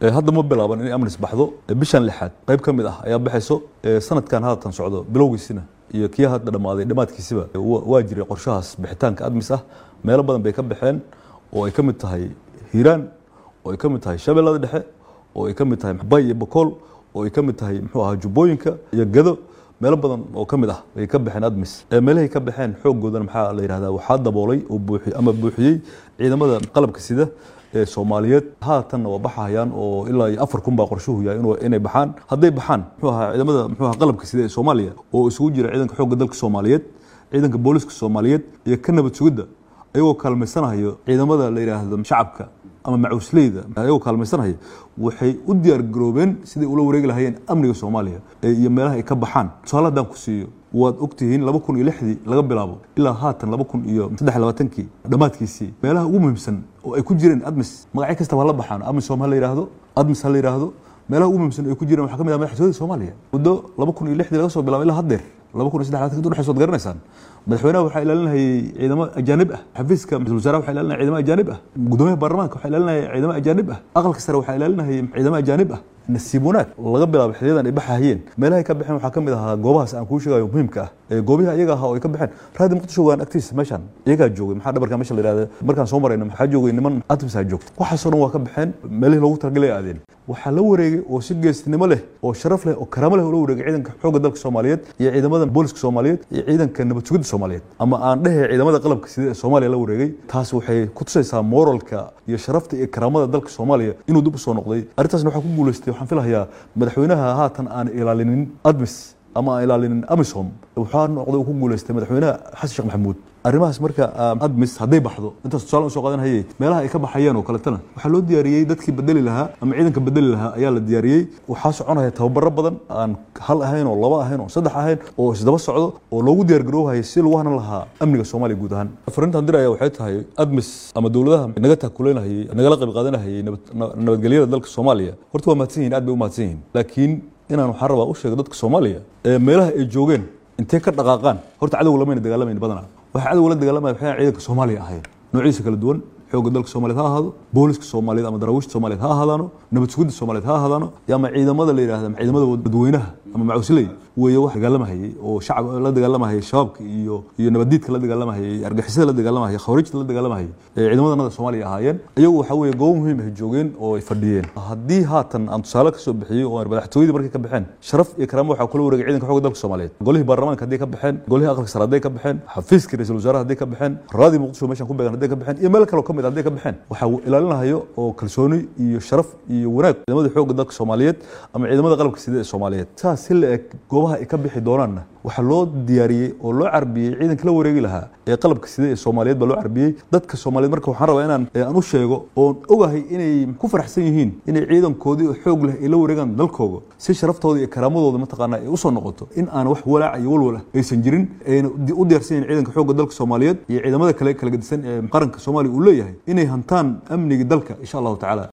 Hadda ma bilaaban inay ATMIS baxdo. Bishan lixaad qayb ka mid ah ayaa baxayso. Sanadkan haatan socdo bilowgiisina iyo kii hadda dhammaaday dhammaadkiisiba waa jiray qorshahaas bixitaanka ATMIS ah. Meelo badan bay ka baxeen, oo ay ka mid tahay Hiiraan, oo ay ka mid tahay Shabeellada Dhexe, oo ay ka mid tahay Bay iyo Bakool, oo ay ka mid tahay, muxuu ahaa, Jubbooyinka iyo Gado. Meelo badan oo ka mid ah ay ka baxeen ATMIS. Meelahay ka baxeen xooggoodana, maxaa la yidhahdaa, waxaa daboolay oo buuxi ama buuxiyey ciidamada qalabka sida ee Soomaaliyeed. Haatanna waa baxahayaan, oo ilaa iyo 4000 baa qorshuhu yahay inay baxaan. Hadday baxaan, muxuu ahaa, ciidamada, muxuu ahaa, qalabka sida ee Soomaaliya, oo isugu jira ciidanka xoogga dalka Soomaaliyeed, ciidanka booliska Soomaaliyeed iyo ka nabad sugidda, ayagoo kaalmaysanayo ciidamada la yidhaahdo shacabka ama macuusleyda, ayagoo kaalmaysanaya, waxay u diyaar garoobeen siday ula wareegi lahayeen amniga Soomaaliya iyo meelaha ay ka baxaan. Tusaale haddaan ku siiyo, waad ogtihiin 2006dii laga bilaabo ilaa haatan 2023kii dhammaadkiisii, meelaha ugu muhiimsan oo ay ku jireen ATMIS, magacyo kastaba hala baxaan, AMISOM ha la yidhaahdo, ATMIS ha la yidhaahdo, meelaha ugu muhiimsan ay ku jireen waxaa ka mid ah madaxtooyada Soomaaliya. Muddo 2006dii laga soo bilaabo ilaa haddeer 2023 udhexaysa, waad garanaysaan, madaxweynaha waxaa ilaalinayay ciidamo ajaanib ah, xafiiska ra-iisul wasaaraha waxaa ilaalinaya ciidamo ajaanib ah, gudoomiyaha baarlamaanka waxaa ilaalinaya ciidamo ajaanib ah, aqalka sare waxaa ilaalinayay ciidamo ajaanib ah. Nasiib wanaag, laga bilaabo xiliyadan ay baxahayeen, meelahay ka baxeen waxaa ka mid ahaa goobahaas aan kuu sheegayo muhiimka ah. Ee goobihii ayaga ahaa oo ay ka baxeen, Raadi Muqdisho waan agtiisa meeshan iyagaa joogay. Maxaa dhabarka meesha la yidhahda markaan soo marayno, maxaa joogay? Niman ATMIS-aa joogta. Waxaasoo dhan waa ka baxeen, meelihii loogu talagalay aadeen. Waxaa la wareegay oo si geestinimo leh oo sharaf leh oo karaamo leh ula wareegay ciidanka xoogga dalka Soomaaliyeed iyo ciidamada booliska Soomaaliyeed iyo ciidanka nabad sugidda Soomaaliyeed, ama aan dhehe ciidamada qalabka sida ee Soomaaliya la wareegay. Taas waxay ku tusaysaa moralka iyo sharafta iyo karaamada dalka Soomaaliya inuu dib u soo noqday. Arrintaasna waxaa ku guulaystay, waxaan filahayaa, madaxweynaha haatan aan ilaalinin ATMIS ama aan ilaalinin AMISOM, waxaa noqday uu ku guulaystay madaxweynaha Xasan Sheekh Maxamuud arrimahaas. Marka ATMIS hadday baxdo, intaas tusaale usoo qaadan hayay, meelaha ay ka baxayeen oo kaletana waxaa loo diyaariyey dadkii bedeli lahaa ama ciidanka bedeli lahaa ayaa la diyaariyey. Waxaa soconaya tababaro badan, aan hal ahayn oo laba ahayn oo saddex ahayn, oo isdaba socdo, oo loogu diyaar garoobhaya si lagu hanan lahaa amniga Soomaaliya guud ahaan. Fariintaan diraya waxay tahay, ATMIS ama dowladaha naga taakuleynahayay, nagala qayb qaadanahayay nabadgelyada dalka Soomaaliya, horta waa mahadsan yihin, aad bay u mahadsan yihin. Laakiin inaan waxaan rabaa u sheego dadka Soomaaliya ee meelaha ay joogeen intay ka dhaqaaqaan, horta cadowga lamayna dagaalamayna badanaa. Waxa cadowga la dagaalamaya waxay ciidanka Soomaaliya ahayn noociisa kala duwan, xoogga dalka Soomaaliyeed ha ahaado, booliska Soomaaliyeed ama daraawiishta Soomaaliyeed ha ahaadaano, nabad sugidda Soomaaliyeed ha ahaadaano, ama ciidamada la yidhahda ciidamada dadweynaha ama macuusley weeye. Wax dagaalamahayay oo shacab la dagaalamahayay, shabaabka iyo nabadiidka la dagaalamahayay, argixisada la dagaalamahayay, khawaarijta la dagaalamahayay, ee ciidamadanada Soomaaliya ahaayeen. Iyagu waxa weeye goobo muhiim ah joogeen oo ay fadhiyeen. Haddii haatan aan tusaale kasoo bixiyey oo madaxtooyadii markay ka baxeen, sharaf iyo karaamo waxaa kula wareegay ciidanka xoogga dalka Soomaaliyeed. Golihii baarlamaanka hadday ka baxeen, golihii aqalka sare hadday ka baxeen, xafiiskii ra-iisul wasaaraha hadday ka baxeen, Raadi Muqdisho meeshan ku beegan hadday ka baxeen, iyo meel kaloo ka mid hadday ka baxeen, waxaa ilaalinahayo oo kalsooni iyo sharaf iyo wanaag ciidamada xoogga dalka Soomaaliyeed ama ciidamada qalabka sida ee Soomaaliyeed. Saas si la eg goobaha ay ka bixi doonaanna waxaa loo diyaariyey oo loo carbiyey ciidanka la wareegi lahaa ee qalabka sida ee Soomaaliyeed baa loo carbiyey. Dadka Soomaaliyeed marka waxaan rabaa inaan aan u sheego oon ogahay inay ku faraxsan yihiin inay ciidankoodii oo xoog leh ay la wareegaan dalkooga, si sharaftooda iyo karaamadooda mataqaanaa ay usoo noqoto, in aan wax walaac iyo walwal ah aysan jirin, ayna u diyaarsan yihiin ciidanka xoogga dalka Soomaaliyeed iyo ciidamada kale kala gedisan ee qaranka Soomaaliya uu leeyahay inay hantaan amniga dalka, insha Allahu tacaala.